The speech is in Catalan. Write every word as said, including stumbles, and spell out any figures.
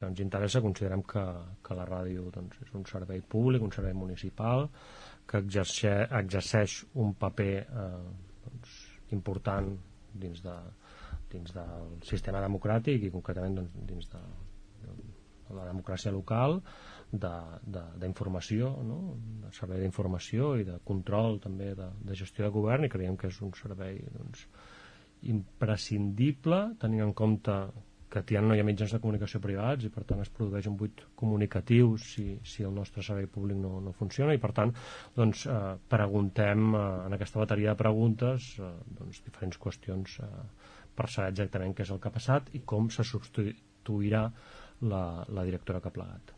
ens interessa. Considerem que, que la ràdio doncs, és un servei públic, un servei municipal, que exerceix, exerceix un paper eh, doncs, important dins, de, dins del sistema democràtic i concretament doncs, dins de, de la democràcia local, d'informació, no? De servei d'informació i de control també de, de gestió de govern, i creiem que és un servei doncs, imprescindible, tenint en compte que ja no hi ha mitjans de comunicació privats i per tant es produeix un buit comunicatiu si, si el nostre servei públic no, no funciona, i per tant doncs, eh, preguntem eh, en aquesta bateria de preguntes eh, doncs, diferents qüestions eh, per saber exactament què és el que ha passat i com se substituirà la, la directora que ha plegat.